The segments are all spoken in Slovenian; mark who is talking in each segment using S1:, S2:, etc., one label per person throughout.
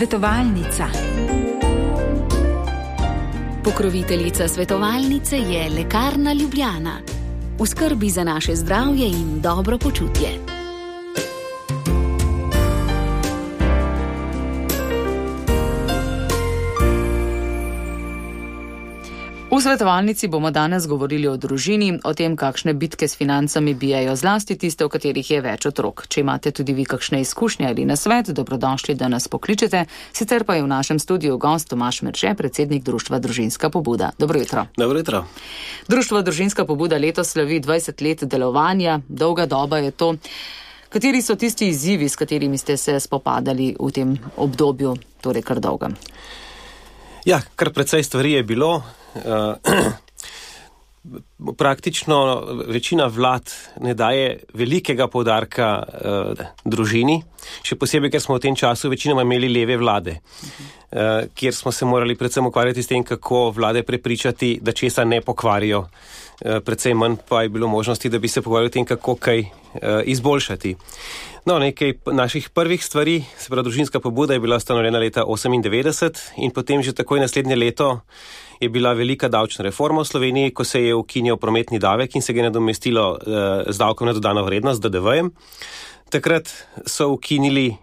S1: Svetovalnica.
S2: Pokroviteljica svetovalnice je Lekarna Ljubljana. V skrbi za naše zdravje in dobro počutje.
S3: V svetovalnici bomo danes govorili o družini, o tem, kakšne bitke s financami bijajo zlasti tiste, v katerih je več otrok. Če imate tudi vi kakšne izkušnje ali nasvet, dobrodošli, da nas pokličete. Sicer pa je v našem studiu gost Tomaž Merše, predsednik Društva Družinska pobuda. Dobro jutro.
S4: Dobro jutro.
S3: Društvo Družinska pobuda letos slavi 20 let delovanja, dolga doba je to. Kateri so tisti izzivi, s katerimi ste se spopadali v tem obdobju, torej kar dolgem?
S4: Ja, kar precej stvari je bilo. Praktično večina vlad ne daje velikega poudarka družini, še posebej, ker smo v tem času večinoma imeli leve vlade, kjer smo se morali predvsem ukvarjati s tem, kako vlade prepričati, da česa ne pokvarijo. Predvsem manj pa je bilo možnosti, da bi se pogovarjali o tem, kako kaj izboljšati. No, nekaj naših prvih stvari, se pravi Družinska pobuda je bila ustanovljena leta 1998 in potem že takoj naslednje leto je bila velika davčna reforma v Sloveniji, ko se je ukinjal prometni davek in se ga je nadomestilo z davkom na dodano vrednost, DDV-jem. Takrat so ukinili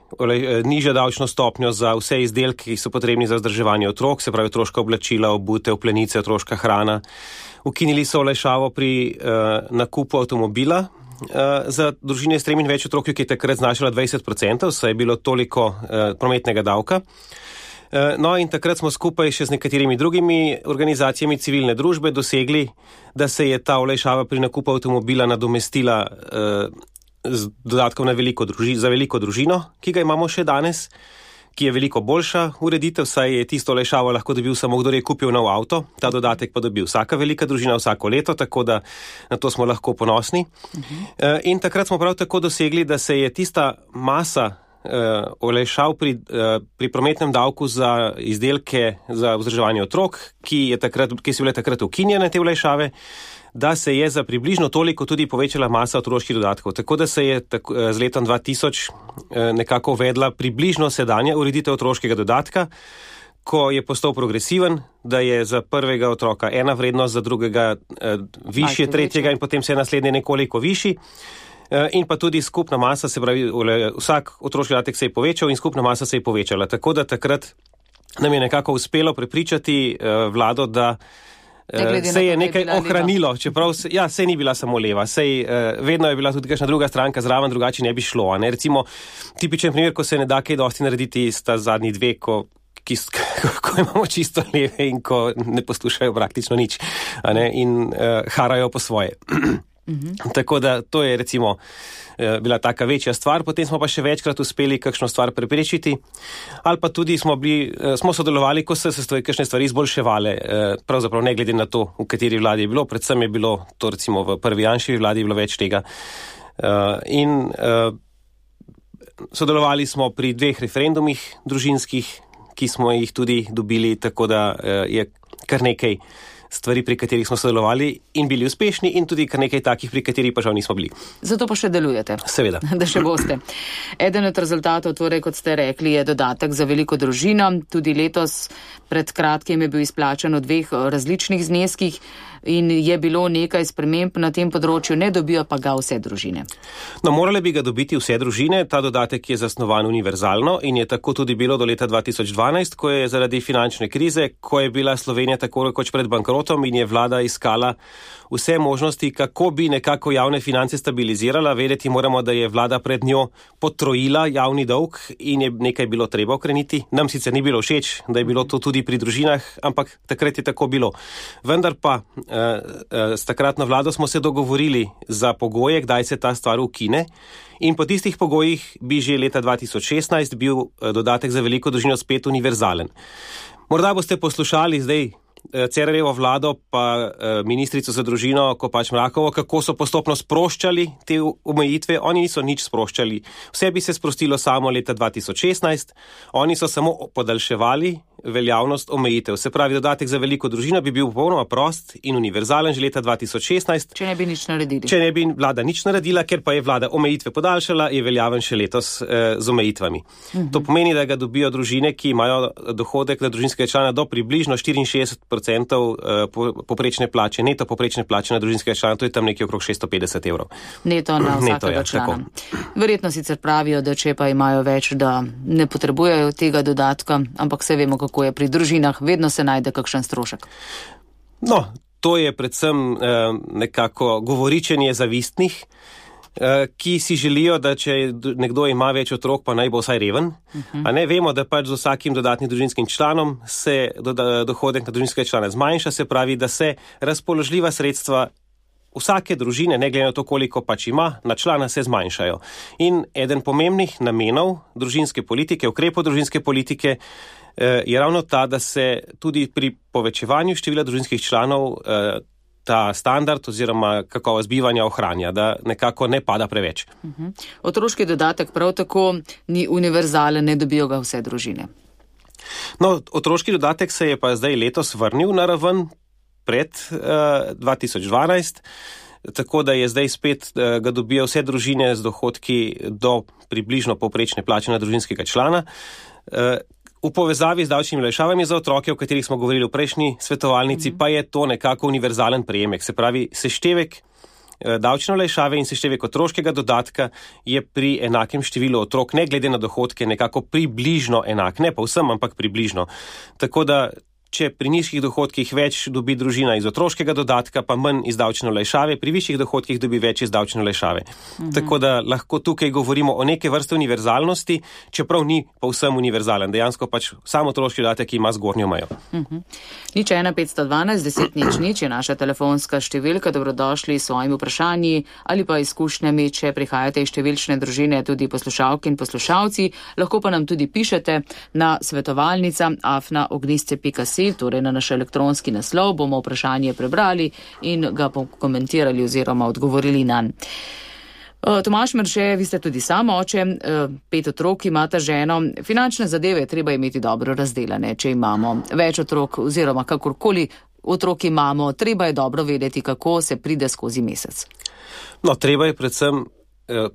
S4: nižjo davčno stopnjo za vse izdelke, ki so potrebni za vzdrževanje otrok, se pravi otroška oblačila, obutev, plenice, otroška hrana. Ukinili so olajšavo pri nakupu avtomobila za družine s 3 in več otroki, ki je takrat znašala 20%, saj je bilo toliko prometnega davka. No in takrat smo skupaj še z nekaterimi drugimi organizacijami civilne družbe dosegli, da se je ta olajšava pri nakupu avtomobila nadomestila z dodatkom za veliko družino, ki ga imamo še danes, ki je veliko boljša ureditev, saj je tisto olajšavo lahko dobil samo kdo je kupil nov avto, ta dodatek pa dobil vsaka velika družina vsako leto, tako da na to smo lahko ponosni. In takrat smo prav tako dosegli, da se je tista masa olajšav pri prometnem davku za izdelke za vzdrževanje otrok, ki so bile takrat ukinjene te olajšave, da se je za približno toliko tudi povečala masa otroških dodatkov. Tako da se je z letom 2000 nekako uvedla približno sedanja ureditev otroškega dodatka, ko je postal progresiven, da je za prvega otroka ena vrednost, za drugega višje, tretjega in potem se je naslednje nekoliko višji. In pa tudi skupna masa, se pravi, vsak otroški dodatek se je povečal in skupna masa se je povečala. Tako da takrat nam je nekako uspelo prepričati vlado, da se je nekaj ohranilo, čeprav se ni bila samo leva, vedno je bila tudi kakšna druga stranka zraven, drugače ne bi šlo. Ne? Recimo, tipičen primer, ko se ne da kaj dosti narediti, sta zadnji dve, ko imamo čisto leve in ko ne poslušajo praktično nič, in harajo po svoje. Tako da to je recimo bila taka večja stvar, potem smo pa še večkrat uspeli kakšno stvar preprečiti, ali pa tudi smo sodelovali, ko so se kakšne stvari izboljševale, pravzaprav ne glede na to, v kateri vladi je bilo, predvsem je bilo to recimo v prvi Janševi vladi je bilo več tega. In sodelovali smo pri 2 referendumih družinskih, ki smo jih tudi dobili, tako da je kar nekaj stvari, pri katerih smo sodelovali in bili uspešni in tudi kar nekaj takih, pri katerih pa žal nismo bili.
S3: Zato pa še delujete.
S4: Seveda.
S3: Da še boste. Eden od rezultatov, torej, kot ste rekli, je dodatek za veliko družino. Tudi letos pred kratkim je bil izplačan v 2 različnih zneskih in je bilo nekaj sprememb na tem področju, ne dobijo pa ga vse družine.
S4: No, morale bi ga dobiti vse družine. Ta dodatek je zasnovan univerzalno in je tako tudi bilo do leta 2012, ko je zaradi finančne krize, ko je bila Slovenija tako rekoč pred bankrotom in je vlada iskala vse možnosti, kako bi nekako javne finance stabilizirala. Vedeti moramo, da je vlada pred njo potrojila javni dolg in je nekaj bilo treba okreniti. Nam sicer ni bilo všeč, da je bilo to tudi pri družinah, ampak takrat je tako bilo. Vendar pa s takratno vlado smo se dogovorili za pogoje, kdaj se ta stvar ukine. In po tistih pogojih bi že leta 2016 bil dodatek za veliko družino spet univerzalen. Morda boste poslušali zdaj Cerarjevo vlado pa ministrico za družino Kopač Mrakovo, kako so postopno sproščali te omejitve. Oni niso nič sproščali. Vse bi se sprostilo samo leta 2016. Oni so samo podaljševali veljavnost omejitev. Se pravi, dodatek za veliko družino bi bil popolnoma prost in univerzalen že leta 2016.
S3: Če ne bi nič naredili.
S4: Če ne bi vlada nič naredila, ker pa je vlada omejitve podaljšala, je veljaven še letos z omejitvami. To pomeni, da ga dobijo družine, ki imajo dohodek na družinskega člana do približno 64% poprečne plače, neto poprečne plače na družinskega člana, to je tam nekje okrog 650 evrov.
S3: Neto na vsakega člana. Verjetno sicer pravijo, da če pa imajo več, da ne potrebujejo tega dodatka, ampak se vemo, kako je pri družinah, vedno se najde kakšen strošek.
S4: No, to je predvsem nekako govoričenje zavistnih, ki si želijo, da če nekdo ima več otrok, pa naj bo vsaj reven. A ne vemo, da pač z vsakim dodatnim družinskim članom se dohodek na družinskega člana zmanjša, se pravi, da se razpoložljiva sredstva vsake družine, ne glede na to, koliko pač ima, na člana se zmanjšajo. In eden pomembnih namenov družinske politike, ukrepov družinske politike, je ravno ta, da se tudi pri povečevanju števila družinskih članov ta standard oziroma kakovost bivanja ohranja, da nekako ne pada preveč.
S3: Otroški dodatek prav tako ni univerzalen, ne dobijo ga vse družine.
S4: No, otroški dodatek se je pa zdaj letos vrnil na raven pred 2012, tako da je zdaj spet ga dobijo vse družine z dohodki do približno povprečne plače na družinskega člana. V povezavi z davčnimi olajšavami za otroke, o katerih smo govorili v prejšnji svetovalnici, pa je to nekako univerzalen prejemek. Se pravi, seštevek davčne olajšave in seštevek otroškega dodatka je pri enakem številu otrok, ne glede na dohodke, nekako približno enak. Ne pa vsem, ampak približno. Tako da, če pri nižjih dohodkih več dobi družina iz otroškega dodatka, pa manj iz davčne olajšave, pri višjih dohodkih dobi več iz davčne olajšave. Tako da lahko tukaj govorimo o neke vrste univerzalnosti, čeprav ni povsem univerzalen. Dejansko pač sam otroški dodatek ima zgornjo mejo.
S3: 01512 10 nič je naša telefonska številka. Dobrodošli s svojimi vprašanji ali pa izkušnjami, če prihajate iz številčne družine, tudi poslušalke in poslušalci. Lahko pa nam tudi pišete na svetovalnica@ogniste.si. Torej na naš elektronski naslov, bomo vprašanje prebrali in ga komentirali oziroma odgovorili nanj. Tomaž Merše, vi ste tudi sam oče, 5 otrok imate ženo. Finančne zadeve je treba imeti dobro razdelane, če imamo več otrok oziroma kakorkoli otrok imamo, treba je dobro vedeti, kako se pride skozi mesec.
S4: No, treba je predvsem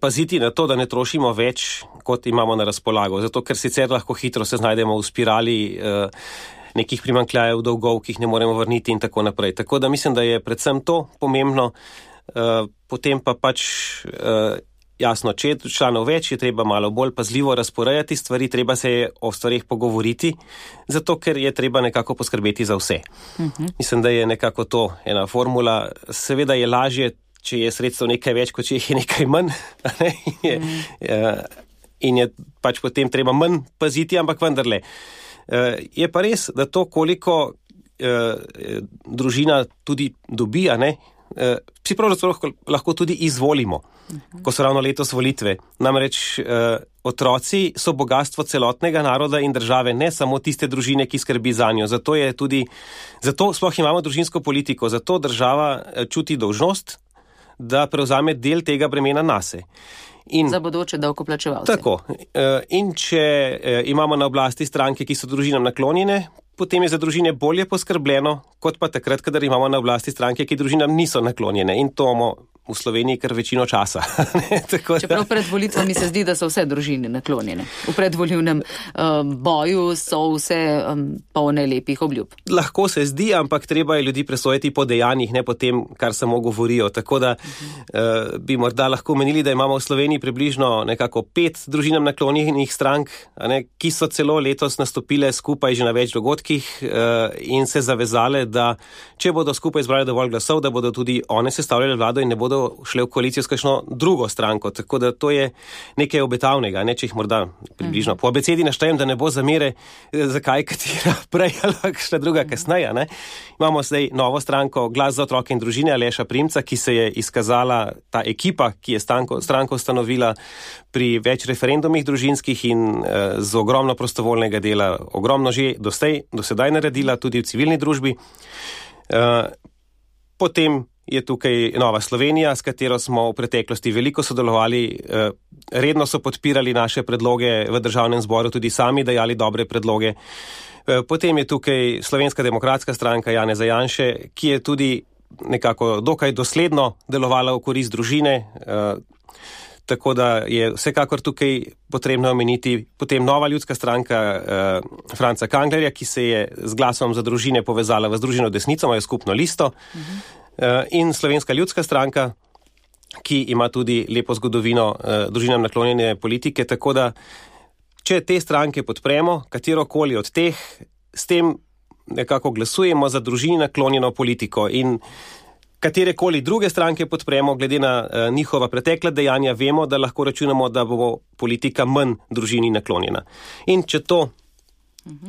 S4: paziti na to, da ne trošimo več, kot imamo na razpolago, zato ker sicer lahko hitro se znajdemo v spirali nekih primanjkljajev, dolgov, ki jih ne moremo vrniti in tako naprej. Tako da mislim, da je predvsem to pomembno, potem pa pač jasno, če je članov več, je treba malo bolj pazljivo razporejati stvari, treba se je o stvarih pogovoriti, zato ker je treba nekako poskrbeti za vse. Mislim, da je nekako to ena formula. Seveda je lažje, če je sredstev nekaj več, kot če jih je nekaj manj, in je pač potem treba manj paziti, ampak vendarle. Je pa res, da to, koliko družina tudi dobi, si pravzaprav lahko tudi izvolimo, ko so ravno letos volitve. Namreč otroci so bogatstvo celotnega naroda in države, ne samo tiste družine, ki skrbi zanjo. Zato sploh imamo družinsko politiko, zato država čuti dolžnost, da prevzame del tega bremena nase.
S3: Za bodoče davkoplačevalce.
S4: Tako. In če imamo na oblasti stranke, ki so družinam naklonjene, potem je za družine bolje poskrbljeno, kot pa takrat, kadar imamo na oblasti stranke, ki družinam niso naklonjene. In to imamo v Sloveniji kar večino časa.
S3: Čeprav pred volitvami se zdi, da so vse družine naklonjene. V predvolivnem boju so vse polne lepih obljub.
S4: Lahko se zdi, ampak treba je ljudi presojati po dejanjih, ne po tem, kar samo govorijo. Tako da bi morda lahko menili, da imamo v Sloveniji približno nekako 5 družinam naklonjenih strank, ki so celo letos nastopile skupaj že na več dogodkih in se zavezale, da če bodo skupaj zbrali dovolj glasov, da bodo tudi one sestavljale vlado in ne bodo bodo šle v koalicijo s kakšno drugo stranko, tako da to je nekaj obetavnega, ne, če jih morda približno. Po abecedi naštejem, da ne bo zamere, zakaj katera prej ali kakšna druga kasneje, ne. Imamo zdaj novo stranko Glas za otroke in družine Aleša Primca, ki se je izkazala ta ekipa, ki je stranko ustanovila pri več referendumih družinskih in z ogromno prostovoljnega dela, ogromno že do sedaj naredila tudi v civilni družbi. Potem je tukaj Nova Slovenija, s katero smo v preteklosti veliko sodelovali, redno so podpirali naše predloge v državnem zboru, tudi sami dajali dobre predloge. Potem je tukaj Slovenska demokratska stranka Janeza Janše, ki je tudi nekako dokaj dosledno delovala v korist družine, tako da je vsekakor tukaj potrebno omeniti. Potem Nova ljudska stranka Franca Kanglerja, ki se je z Glasom za družine povezala v Združeno desnico, imajo skupno listo. In Slovenska ljudska stranka, ki ima tudi lepo zgodovino družinam naklonjene politike, tako da če te stranke podpremo, katerokoli od teh, s tem nekako glasujemo za družini naklonjeno politiko in katerekoli druge stranke podpremo, glede na njihova pretekla dejanja, vemo, da lahko računamo, da bo politika manj družini naklonjena. In če to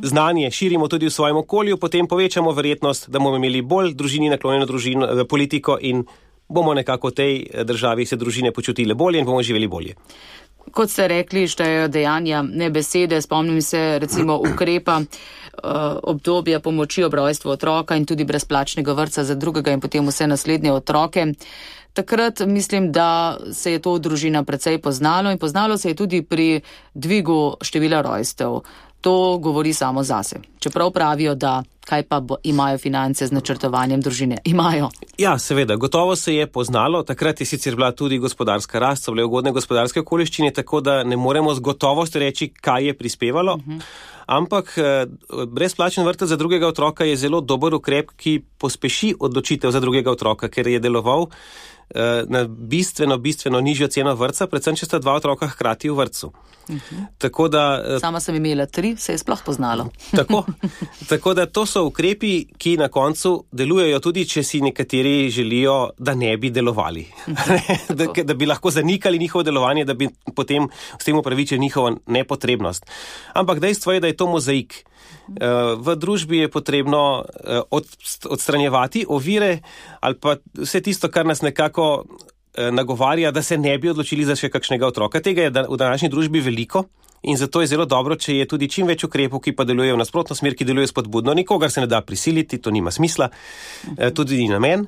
S4: znanje širimo tudi v svojem okolju, potem povečamo verjetnost, da bomo imeli bolj družini naklonjeno politiko in bomo nekako v tej državi se družine počutile bolje in bomo živeli bolje.
S3: Kot ste rekli, štejejo dejanja, ne besede. Spomnim se recimo ukrepa obdobja pomoči ob rojstvu otroka in tudi brezplačnega vrtca za drugega in potem vse naslednje otroke. Takrat mislim, da se je to v družina precej poznalo in poznalo se je tudi pri dvigu števila rojstev. To govori samo zase. Čeprav pravijo, da kaj pa imajo finance z načrtovanjem družine? Imajo.
S4: Ja, seveda, gotovo se je poznalo. Takrat je sicer bila tudi gospodarska rast, so bile ugodne gospodarske okoliščine, tako da ne moremo z gotovostjo reči, kaj je prispevalo. Ampak brezplačen vrtec za drugega otroka je zelo dober ukrep, ki pospeši odločitev za drugega otroka, ker je deloval na bistveno nižjo ceno vrtca, predvsem če sta dva otroka hkrati v vrtcu. Tako da,
S3: sama sem imela 3, se je sploh poznalo.
S4: Tako da to so ukrepi, ki na koncu delujejo tudi, če si nekateri želijo, da ne bi delovali. da bi lahko zanikali njihovo delovanje, da bi potem s tem upravičili njihovo nepotrebnost. Ampak dejstvo je, da je to mozaik. V družbi je potrebno odstranjevati ovire ali pa vse tisto, kar nas nekako nagovarja, da se ne bi odločili za še kakšnega otroka. Tega je v današnji družbi veliko in zato je zelo dobro, če je tudi čim več ukrepov, ki pa delujejo v nasprotno smer, ki delujejo spodbudno. Nikogar se ne da prisiliti, to nima smisla, tudi ni namen.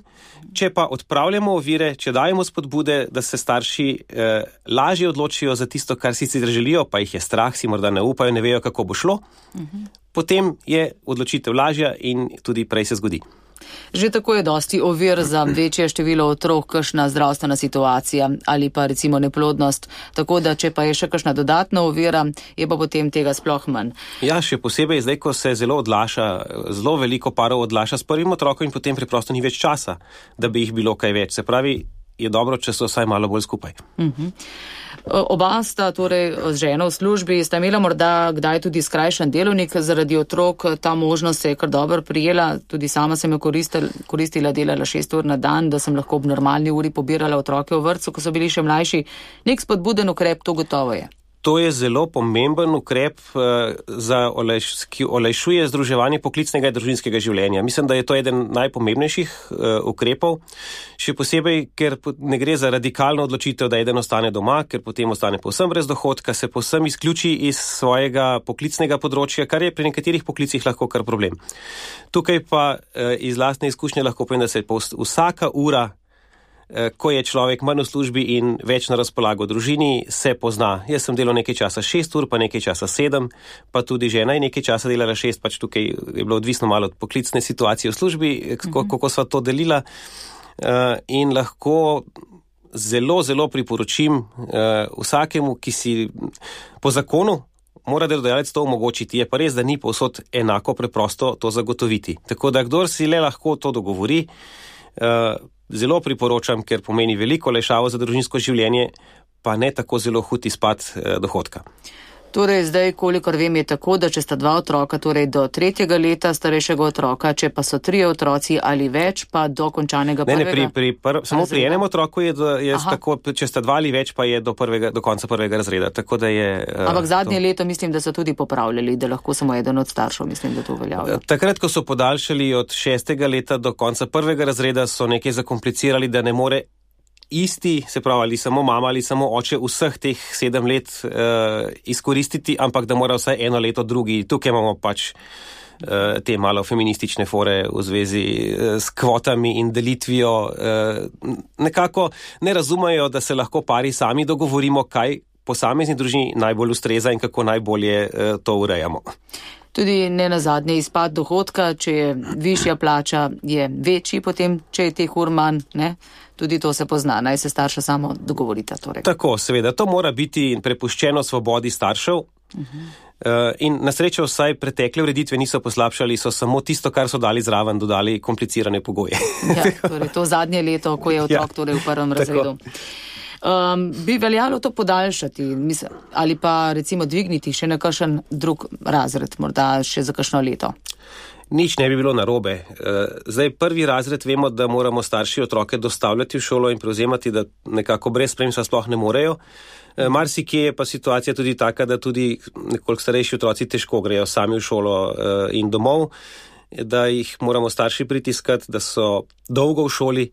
S4: Če pa odpravljamo ovire, če dajemo spodbude, da se starši lažje odločijo za tisto, kar sicer želijo, pa jih je strah, si morda ne upajo, ne vejo, kako bo šlo, potem je odločitev lažja in tudi prej se zgodi.
S3: Že tako je dosti ovir za večje število otrok, kakšna zdravstvena situacija ali pa recimo neplodnost, tako da če pa je še kakšna dodatna ovira, je pa potem tega sploh manj.
S4: Ja, še posebej zdaj, ko se zelo veliko parov odlaša s prvim otrokom in potem preprosto ni več časa, da bi jih bilo kaj več. Se pravi, je dobro, če so vsaj malo bolj skupaj.
S3: Oba sta torej z ženo v službi, sta imela morda kdaj tudi skrajšan delovnik zaradi otrok, ta možnost se je kar dobro prijela, tudi sama sem jo koristila, delala 6 ur na dan, da sem lahko ob normalni uri pobirala otroke v vrtcu, ko so bili še mlajši. Nek spodbuden ukrep, to gotovo je.
S4: To je zelo pomemben ukrep, ki olajšuje združevanje poklicnega in družinskega življenja. Mislim, da je to eden najpomembnejših ukrepov, še posebej, ker ne gre za radikalno odločitev, da eden ostane doma, ker potem ostane povsem brez dohodka, se povsem izključi iz svojega poklicnega področja, kar je pri nekaterih poklicih lahko kar problem. Tukaj pa iz lastne izkušnje lahko povem, da se vsaka ura, ko je človek manj v službi in več na razpolago družini, se pozna. Jaz sem delal nekaj časa 6 ur, pa nekaj časa 7, pa tudi žena je nekaj časa delala 6, pač tukaj je bilo odvisno malo od poklicne situacije v službi, kako sva to delila. In lahko zelo, zelo priporočim vsakemu, ki si po zakonu mora delodajalec to omogočiti. Je pa res, da ni povsod enako preprosto to zagotoviti. Tako da kdor si le lahko to dogovori, zelo priporočam, ker pomeni veliko olajšavo za družinsko življenje, pa ne tako zelo hud izpad dohodka.
S3: Torej, zdaj, kolikor vem, je tako, da če sta 2 otroka, torej do 3. leta starejšega otroka, če pa so 3 otroci ali več, pa do končanega prvega.
S4: Samo pri enem otroku je tako, če sta 2 ali več, pa je do konca 1. razreda. Tako da je,
S3: ampak zadnje leto mislim, da so tudi popravljali, da lahko samo eden od staršev, mislim, da to veljavlja.
S4: Takrat, ko so podaljšali od 6. leta do konca 1. razreda, so nekaj zakomplicirali, da ne more isti, se pravi, ali samo mama ali samo oče vseh teh 7 let izkoristiti, ampak da mora vsaj 1 leto drugi. Tukaj imamo pač te malo feministične fore v zvezi s kvotami in delitvijo. Nekako ne razumejo, da se lahko pari sami dogovorimo, kaj posamezni družini najbolj ustreza in kako najbolje to urejamo.
S3: Tudi ne nazadnje izpad dohodka, če je višja plača, je večji potem, če je teh ur manj, ne? Tudi to se pozna, naj se starša samo dogovorita. Torej.
S4: Tako, seveda, to mora biti prepuščeno svobodi staršev. In na srečo vsaj pretekle ureditve niso poslabšali, so samo tisto, kar so dali zraven, dodali komplicirane pogoje.
S3: Ja, torej to zadnje leto, ko je otrok torej v 1. razredu. Bi veljalo to podaljšati ali pa recimo dvigniti še na kakšen drug razred, morda še za kakšno leto?
S4: Nič ne bi bilo narobe. Zdaj 1. razred vemo, da moramo starši otroke dostavljati v šolo in prevzemati, da nekako brez spremstva sploh ne morejo. Marsikje je pa situacija tudi taka, da tudi nekoliko starejši otroci težko grejo sami v šolo in domov, da jih moramo starši pritiskati, da so dolgo v šoli.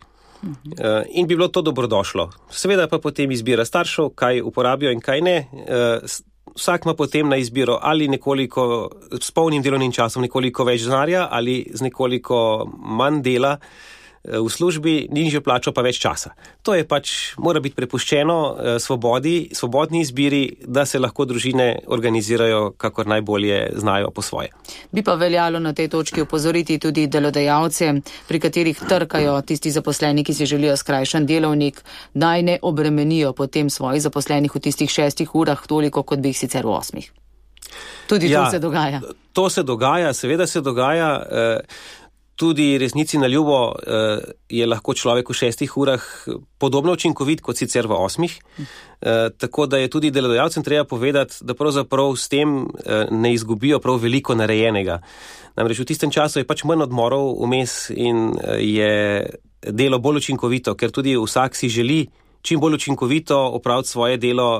S4: In bi bilo to dobrodošlo. Seveda pa potem izbira staršev, kaj uporabijo in kaj ne. Vsak ima potem na izbiro ali nekoliko s polnim delovnim časom nekoliko več denarja ali z nekoliko manj dela v službi, nižjo plačo pa več časa. To je pač, mora biti prepuščeno svobodni izbiri, da se lahko družine organizirajo, kakor najbolje znajo po svoje.
S3: Bi pa veljalo na tej točki opozoriti tudi delodajalce, pri katerih trkajo tisti zaposleni, ki si želijo skrajšan delovnik, naj ne obremenijo potem svojih zaposlenih v tistih 6 urah toliko, kot bi jih sicer v 8. Tudi to se dogaja.
S4: To se dogaja, seveda se dogaja. Tudi resnici na ljubo je lahko človek v 6 urah podobno učinkovit kot sicer v 8. Tako da je tudi delodajalcem treba povedati, da pravzaprav s tem ne izgubijo prav veliko narejenega. Namreč v tistem času je pač manj odmorov vmes in je delo bolj učinkovito, ker tudi vsak si želi čim bolj učinkovito opraviti svoje delo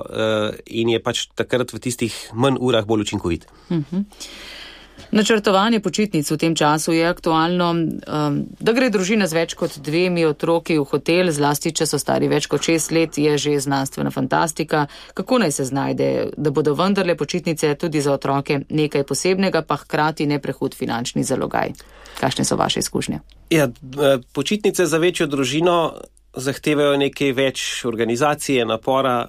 S4: in je pač takrat v tistih manj urah bolj učinkovit.
S3: Načrtovanje počitnic v tem času je aktualno, da gre družina z več kot 2 otroki v hotel, zlasti če so stari več kot 6 let, je že znanstvena fantastika. Kako naj se znajde, da bodo vendarle počitnice tudi za otroke nekaj posebnega, pa hkrati ne prehud finančni zalogaj? Kakšne so vaše izkušnje?
S4: Ja, počitnice za večjo družino zahtevajo nekaj več organizacije, napora,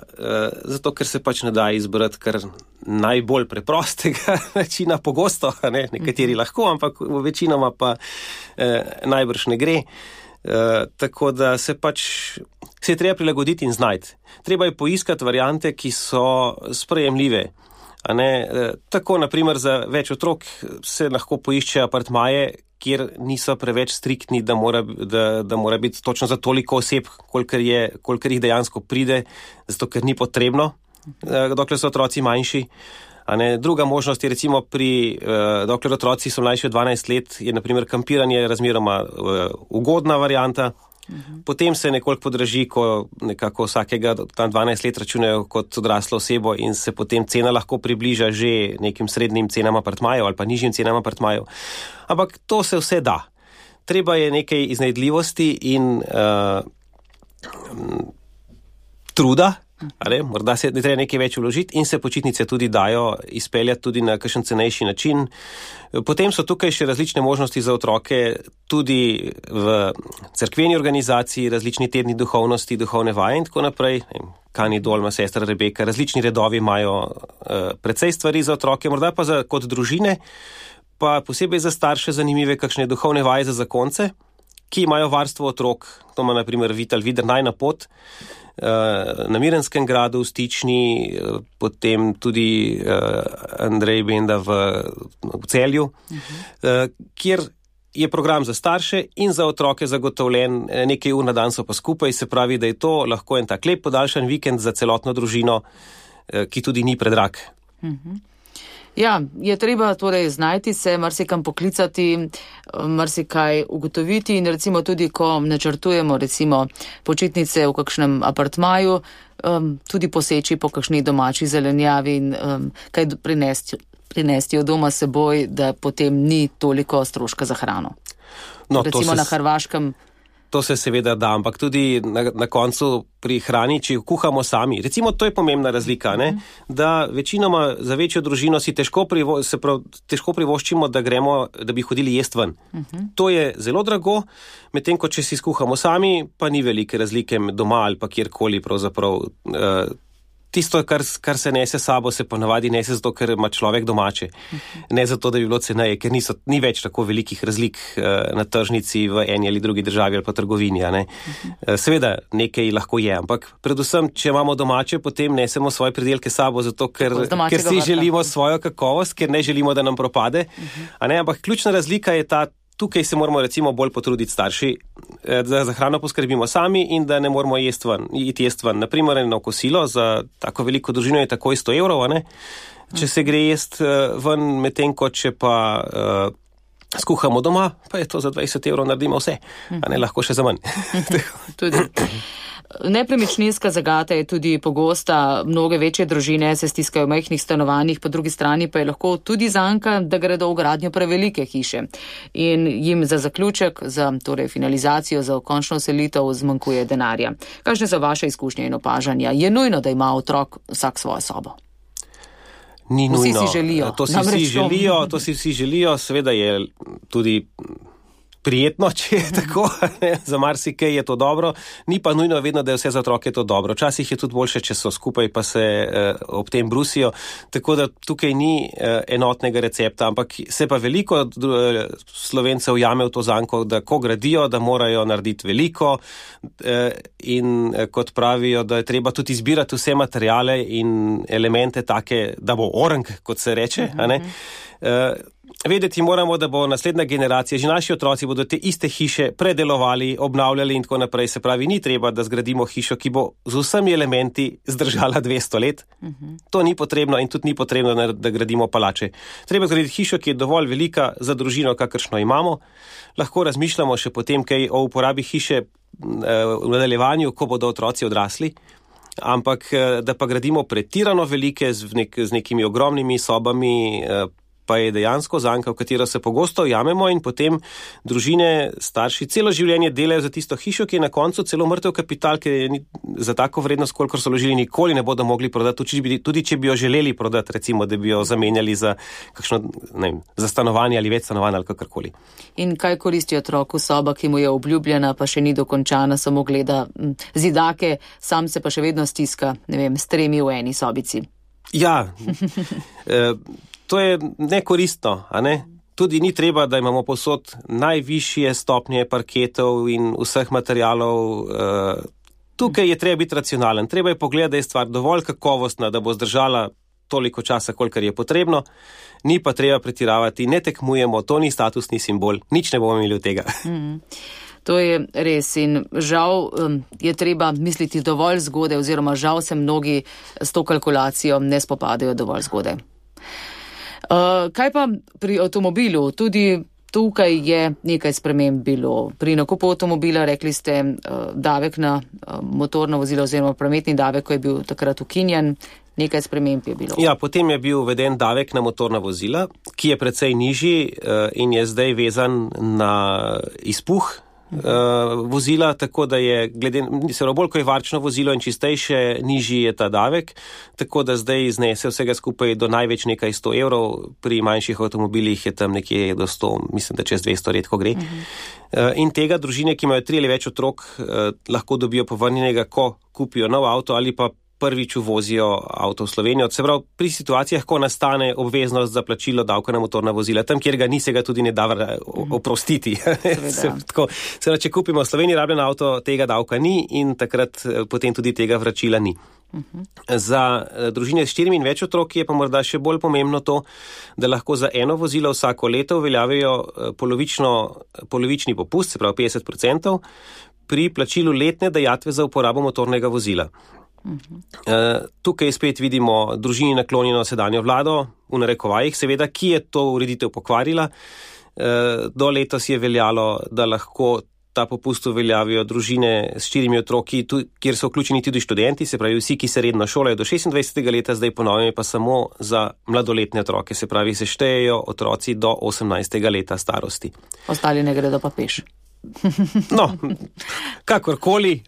S4: zato ker se pač ne da izbrati kar najbolj preprostega načina, pogosto, nekateri lahko, ampak večinoma pa najbrž ne gre. Tako da se je treba prilagoditi in znajti. Treba je poiskati variante, ki so sprejemljive. Tako, naprimer, za več otrok se lahko poiščejo apartmaje, kjer niso preveč striktni, da mora biti točno za toliko oseb, kolikor jih dejansko pride, zato ker ni potrebno, dokler so otroci manjši. Druga možnost je recimo dokler otroci so mlajši od 12 let, je naprimer kampiranje razmeroma ugodna varianta. Potem se nekoliko podraži, ko nekako vsakega tam 12 let računajo kot odraslo osebo in se potem cena lahko približa že nekim srednjim cenam apartmajev ali pa nižjim cenam apartmajev. Ampak to se vse da. Treba je nekaj iznajdljivosti in truda, morda se ne treba nekaj več vložiti in se počitnice tudi dajo izpeljati tudi na kakšen cenejši način. Potem so tukaj še različne možnosti za otroke, tudi v cerkveni organizaciji, različni tedni duhovnosti, duhovne vaje in tako naprej. Kani Dolma, sestra Rebeka, različni redovi imajo precej stvari za otroke, morda pa kot družine, pa posebej za starše zanimive kakšne duhovne vaje za zakonce, ki imajo varstvo otrok. To ima na primer Vital Vidernaj na pot, na Mirenskem gradu v Stični, potem tudi Andrej Benda v Celju, kjer je program za starše in za otroke zagotovljen, nekaj ur na dan so pa skupaj, se pravi, da je to lahko en tak lep podaljšan vikend za celotno družino, ki tudi ni predrag.
S3: Ja, je treba torej znajti se, marsikam poklicati, marsikaj ugotoviti in recimo tudi, ko načrtujemo recimo počitnice v kakšnem apartmaju, tudi poseči po kakšni domači zelenjavi in kaj prinesti od doma seboj, da potem ni toliko stroška za hrano.
S4: No,
S3: recimo na Hrvaškem.
S4: To se seveda da, ampak tudi na koncu pri hrani, če kuhamo sami. Recimo, to je pomembna razlika, ne? Da večinoma za večjo družino si težko privoščimo, da bi hodili jest ven. To je zelo drago, medtem ko če si skuhamo sami, pa ni velike razlike doma ali pa kjerkoli pravzaprav. Tisto, kar se nese sabo, se ponavadi nese zato, ker ima človek domače. Ne zato, da bi bilo ceneje, ker ni več tako velikih razlik na tržnici v eni ali drugi državi ali pa trgovini. Seveda nekaj lahko je, ampak predvsem, če imamo domače, potem nesemo svoje pridelke sabo, zato ker si želimo svojo kakovost, ker ne želimo, da nam propade. Ampak ključna razlika je ta, tukaj se moramo recimo bolj potruditi starši, da za hrano poskrbimo sami in da ne moramo iti jest ven. Naprimer, eno kosilo za tako veliko družino je takoj 100 evrov, če se gre jest ven, medtem ko če pa skuhamo doma, pa je to za 20 evrov naredimo vse, lahko še za manj.
S3: Tudi. Nepremičninska zagata je tudi pogosta, mnoge večje družine se stiskajo v majhnih stanovanjih, po drugi strani pa je lahko tudi zanka, da gredo v gradnjo prevelike hiše in jim za zaključek, za torej finalizacijo, za končno selitev zmanjkuje denarja. Kakšne so vaše izkušnje in opažanja? Je nujno, da ima otrok vsak svojo sobo?
S4: Ni nujno.
S3: Vsi si želijo.
S4: To si vsi želijo, seveda je tudi prijetno, če je tako, za marsikaj je to dobro, ni pa nujno vedno, da je vse za otroke to dobro. Včasih je tudi boljše, če so skupaj, pa se ob tem brusijo, tako da tukaj ni enotnega recepta, ampak se pa veliko Slovencev jame v to zanko, da ko gradijo, da morajo narediti veliko in kot pravijo, da je treba tudi izbirati vse materiale in elemente take, da bo orenk, kot se reče, Vedeti moramo, da bo naslednja generacija, že naši otroci bodo te iste hiše predelovali, obnavljali in tako naprej. Se pravi, ni treba, da zgradimo hišo, ki bo z vsemi elementi zdržala 200 let. To ni potrebno in tudi ni potrebno, da gradimo palače. Treba zgraditi hišo, ki je dovolj velika za družino, kakršno imamo. Lahko razmišljamo še potem kaj o uporabi hiše v nadaljevanju, ko bodo otroci odrasli. Ampak da pa gradimo pretirano velike z nekimi ogromnimi sobami, pa je dejansko zanka, v katero se pogosto ujamemo in potem družine, starši celo življenje delajo za tisto hišo, ki je na koncu celo mrtev kapital, ki je za tako vrednost, kolikor so vložili, nikoli ne bodo mogli prodati, tudi če bi jo želeli prodati, recimo, da bi jo zamenjali za kakšno, za stanovanje ali več stanovanj ali kakorkoli.
S3: In kaj koristi otroku soba, ki mu je obljubljena, pa še ni dokončana, samo gleda zidake, sam se pa še vedno stiska, s 3 v eni sobici?
S4: Ja, to je nekoristno, Tudi ni treba, da imamo povsod najvišje stopnje parketov in vseh materialov. Tukaj je treba biti racionalen. Treba je pogledati, da je stvar dovolj kakovostna, da bo zdržala toliko časa, kolikor je potrebno. Ni pa treba pretiravati, ne tekmujemo, to ni statusni simbol. Nič ne bomo imeli od tega.
S3: To je res in žal je treba misliti dovolj zgodaj oziroma žal se mnogi s to kalkulacijo ne spopadajo dovolj zgodaj. Kaj pa pri avtomobilu? Tudi tukaj je nekaj sprememb bilo. Pri nakupu avtomobila rekli ste davek na motorno vozilo oziroma prometni davek, ko je bil takrat ukinjen, nekaj sprememb je bilo. Ja,
S4: potem je bil uveden davek na motorna vozila, ki je precej nižji in je zdaj vezan na izpuh vozila, tako da je bolj ko je varčno vozilo in čistejše, nižji je ta davek, tako da zdaj znese vsega skupaj do največ nekaj 100 evrov, pri manjših avtomobilih je tam nekje do 100, mislim, da čez 200 redko gre. In tega družine, ki imajo 3 ali več otrok, lahko dobijo povrnjenega, ko kupijo nov avto ali pa prvič uvozijo avto v Slovenijo. Se pravi, pri situacijah, ko nastane obveznost za plačilo davka na motorna vozila, tam, kjer ga ni, se ga tudi ne da oprostiti. Če kupimo v Sloveniji rabljen avto, tega davka ni in takrat potem tudi tega vračila ni. Za družine s 4 in več otrok je pa morda še bolj pomembno to, da lahko za eno vozilo vsako leto uveljavijo polovični popust, se pravi 50%, pri plačilu letne dajatve za uporabo motornega vozila. Tukaj spet vidimo družini naklonjeno sedanjo vlado, v narekovajih seveda, ki je to ureditev pokvarila. Do letos je veljalo, da lahko ta popust uveljavijo družine s 4 otroki, kjer so vključeni tudi študenti, se pravi vsi, ki se redno šolajo do 26. leta, zdaj ponovno pa samo za mladoletne otroke, se pravi se štejejo otroci do 18. leta starosti.
S3: Ostali ne gredo pa peš.
S4: No, kakorkoli,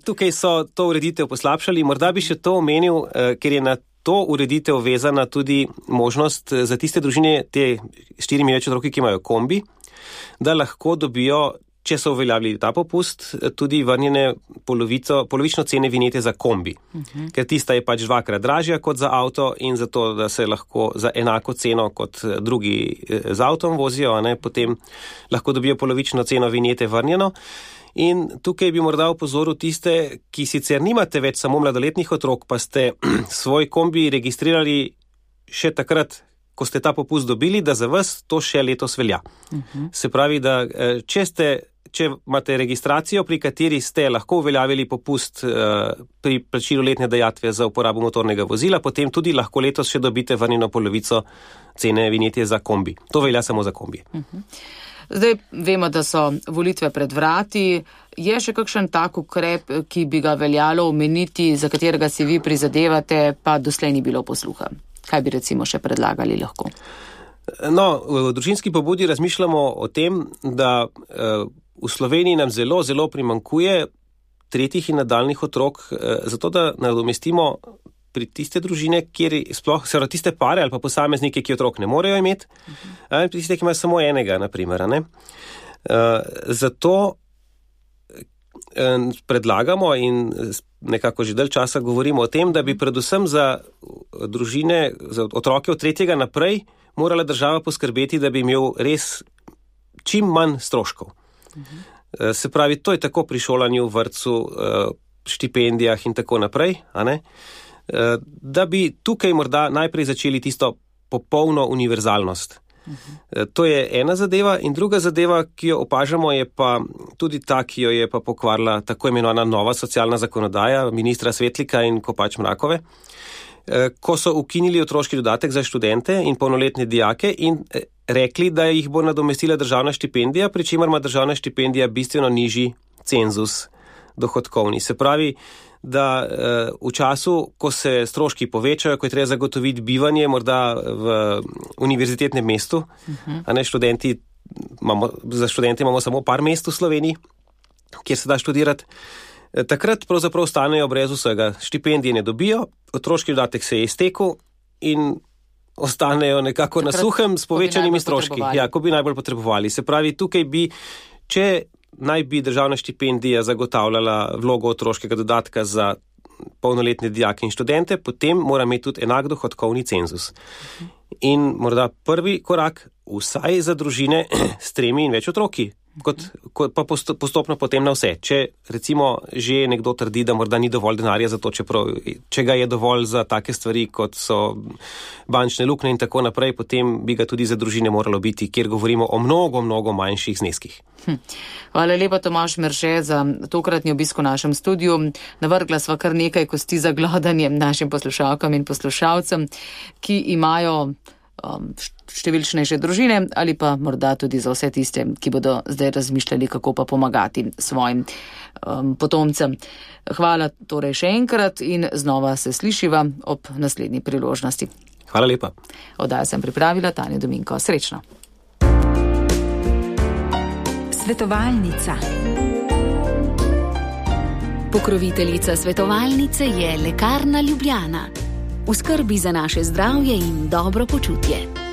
S4: tukaj so to ureditev poslabšali. Morda bi še to omenil, ker je na to ureditev vezana tudi možnost za tiste družine, te 4 več otroki, ki imajo kombi, da lahko dobijo, če so uveljavili ta popust, tudi vrnjene polovično cene vinjete za kombi. Ker tista je pač 2-krat dražja kot za avto in zato, da se lahko za enako ceno kot drugi z avtom vozijo, potem lahko dobijo polovično ceno vinjete vrnjeno. In tukaj bi morda opozoril tiste, ki sicer nimate več samo mladoletnih otrok, pa ste svoj kombi registrirali še takrat, ko ste ta popust dobili, da za vas to še letos velja. Se pravi, da če imate registracijo, pri kateri ste lahko uveljavili popust pri plačilu letne dajatve za uporabo motornega vozila, potem tudi lahko letos še dobite vrnjeno polovico cene vinjete za kombi. To velja samo za kombi.
S3: Zdaj vemo, da so volitve pred vrati. Je še kakšen tak ukrep, ki bi ga veljalo omeniti, za katerega si vi prizadevate, pa doslej ni bilo posluha? Kaj bi recimo še predlagali lahko?
S4: No, v družinski pobudi razmišljamo o tem, da v Sloveniji nam zelo, zelo primanjkuje tretjih in nadaljnih otrok, zato da nadomestimo pri tiste družine, kjer sploh, tiste pare ali pa posameznike, ki otrok ne morejo imeti, pri tiste, ki imajo samo enega, naprimer. Zato predlagamo in nekako že dalj časa govorimo o tem, da bi predvsem za družine, za otroke od 3. naprej morala država poskrbeti, da bi imel res čim manj stroškov. Se pravi, to je tako pri šolanju, vrtcu, štipendijah in tako naprej, da bi tukaj morda najprej začeli tisto popolno univerzalnost. To je ena zadeva in druga zadeva, ki jo opažamo, je pa tudi ta, ki jo je pa pokvarila tako imenovana nova socialna zakonodaja ministra Svetlika in Kopač Mrakove, ko so ukinili otroški dodatek za študente in polnoletne dijake in rekli, da jih bo nadomestila državna štipendija, pri čemer ima državna štipendija bistveno nižji cenzus dohodkovni. Se pravi, da v času, ko se stroški povečajo, ko je treba zagotoviti bivanje morda v univerzitetnem mestu, za študente imamo samo par mest v Sloveniji, kjer se da študirati, takrat pravzaprav ostanejo brez vsega. Štipendije ne dobijo, otroški dodatek se je iztekel in ostanejo nekako takrat na suhem s povečanimi stroški. Ja, ko bi najbolj potrebovali. Se pravi, tukaj bi, če naj bi državna štipendija zagotavljala vlogo otroškega dodatka za polnoletne dijake in študente, potem mora imeti tudi enak dohodkovni cenzus. In morda prvi korak vsaj za družine s 3 in več otroki, pa postopno potem na vse. Če recimo že nekdo trdi, da morda ni dovolj denarja za to, če ga je dovolj za take stvari, kot so bančne luknje in tako naprej, potem bi ga tudi za družine moralo biti, kjer govorimo o mnogo, mnogo manjših zneskih.
S3: Hvala lepa, Tomaž Merše, za tokratni obisk v našem studiu. Navrgla sva kar nekaj kosti za glodanje našim poslušalkam in poslušalcem, ki imajo številčnejše družine ali pa morda tudi za vse tiste, ki bodo zdaj razmišljali, kako pa pomagati svojim potomcem. Hvala torej še enkrat in znova se slišiva ob naslednji priložnosti.
S4: Hvala lepa.
S3: Oddajo sem pripravila Tanja Dominko. Srečno.
S2: Svetovalnica. Pokroviteljica svetovalnice je Lekarna Ljubljana. V skrbi za naše zdravje in dobro počutje.